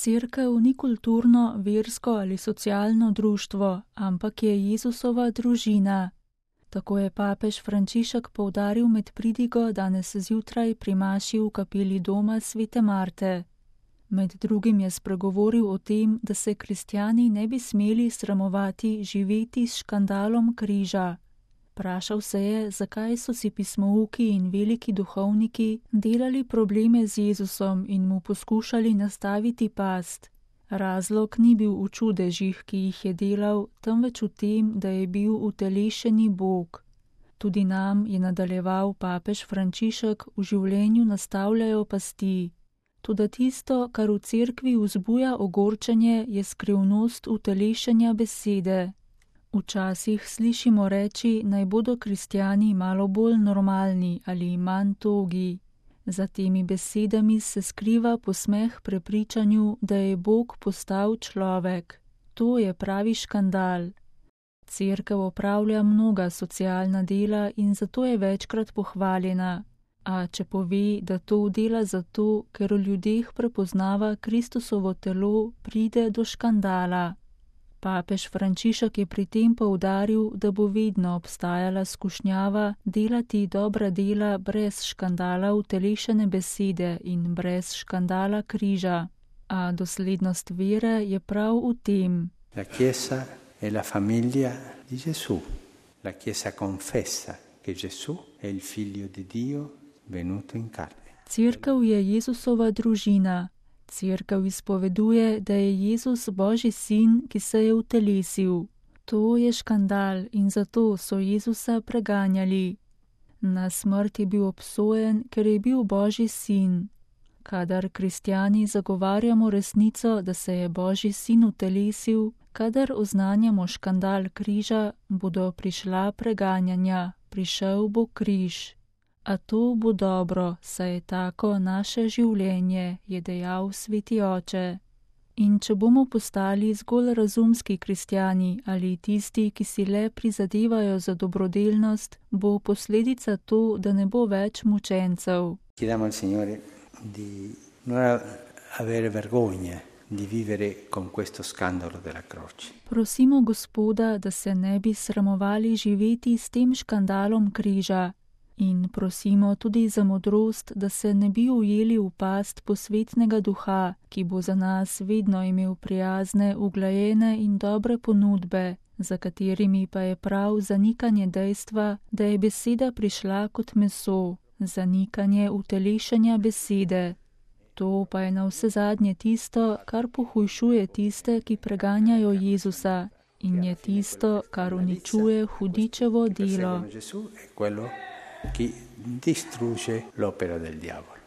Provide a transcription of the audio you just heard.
Cerkev ni kulturno, versko ali socialno društvo, ampak je Jezusova družina. Tako je papež Frančišek poudaril med pridigo danes zjutraj pri maši v kapeli doma svete Marte. Med drugim je spregovoril o tem, da se kristjani ne bi smeli sramovati živeti s škandalom križa. Vprašal se je, zakaj so si pismouki in veliki duhovniki delali probleme z Jezusom in mu poskušali nastaviti past. Razlog ni bil v čudežih, ki jih je delal, temveč v tem, da je bil utelešeni Bog. Tudi nam, je nadaljeval papež Frančišek, v življenju nastavljajo pasti. Toda tisto, kar v cerkvi vzbuja ogorčenje, je skrivnost utelešenja besede. Včasih slišimo reči, naj bodo kristjani malo bolj normalni ali manj togi. Za temi besedami se skriva posmeh prepričanju, da je Bog postal človek. To je pravi škandal. Cerkev opravlja mnoga socialna dela in zato je večkrat pohvaljena. A če pove, da to dela zato, ker v ljudeh prepoznava Kristusovo telo, pride do škandala. Papež Frančišek je pri tem poudaril, da bo vedno obstajala skušnjava delati dobra dela brez škandala utelešene besede in brez škandala križa. A doslednost vere je prav v tem. La Chiesa è la famiglia di Gesù. La Chiesa confessa che Gesù è il figlio di Dio venuto in carne. Cerkev je Jezusova družina. Cerkev izpoveduje, da je Jezus Božji sin, ki se je utelesil. To je škandal in zato so Jezusa preganjali. Na smrt je bil obsojen, ker je bil Božji sin. Kadar kristjani zagovarjamo resnico, da se je Božji sin utelesil, kadar oznanjamo škandal križa, bodo prišla preganjanja, prišel bo križ. A to bo dobro, saj je tako naše življenje, je dejal sveti oče. In če bomo postali zgolj razumski kristjani ali tisti, ki si le prizadevajo za dobrodelnost, bo posledica to, da ne bo več mučencev. Chiediamo al Signore di non avere vergogna di vivere con questo scandalo della croce. Prosimo Gospoda, da se ne bi sramovali živeti s tem škandalom križa. In prosimo tudi za modrost, da se ne bi ujeli v past posvetnega duha, ki bo za nas vedno imel prijazne, uglajene in dobre ponudbe, za katerimi pa je prav zanikanje dejstva, da je beseda prišla kot meso, zanikanje utelešenja besede. To pa je navsezadnje tisto, kar pohujšuje tiste, ki preganjajo Jezusa, in je tisto, kar uničuje hudičevo delo. Chi distrugge l'opera del diavolo.